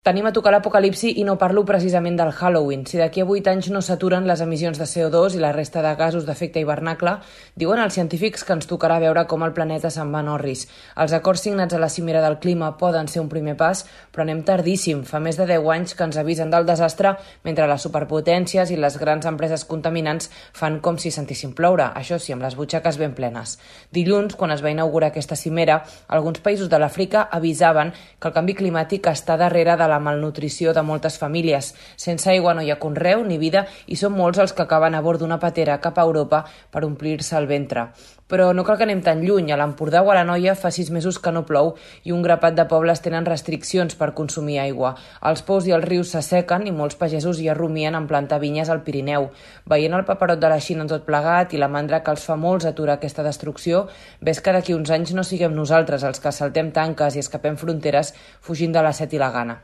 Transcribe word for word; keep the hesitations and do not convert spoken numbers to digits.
Tenim a tocar l'apocalipsi i no parlo precisament del Halloween. Si d'aquí a vuit anys no s'aturen les emissions de C O dos i la resta de gasos d'efecte hivernacle, diuen els científics que ens tocarà veure com el planeta se'n va en orris. Els acords signats a la cimera del clima poden ser un primer pas, però anem tardíssim. Fa més de deu anys que ens avisen del desastre mentre les superpotències i les grans empreses contaminants fan com si sentissin ploure, això sí, amb les butxaques ben plenes. Dilluns, quan es va inaugurar aquesta cimera, alguns països de l'Àfrica avisaven que el canvi climàtic està darrere de la la malnutrició de moltes famílies. Sense aigua no hi ha conreu ni vida i són molts els que acaben a bord d'una patera cap a Europa per omplir-se el ventre. Però no cal que anem tan lluny. A l'Empordà o a l'Anoia fa sis mesos que no plou i un grapat de pobles tenen restriccions per consumir aigua. Els pous i els rius s'assequen i molts pagesos ja rumien en plantar vinyes al Pirineu. Veient el paperot de la Xina en tot plegat i la mandra que els fa molts aturar aquesta destrucció, ves que d'aquí uns anys no siguem nosaltres els que saltem tanques i escapem fronteres fugint de la set i la gana.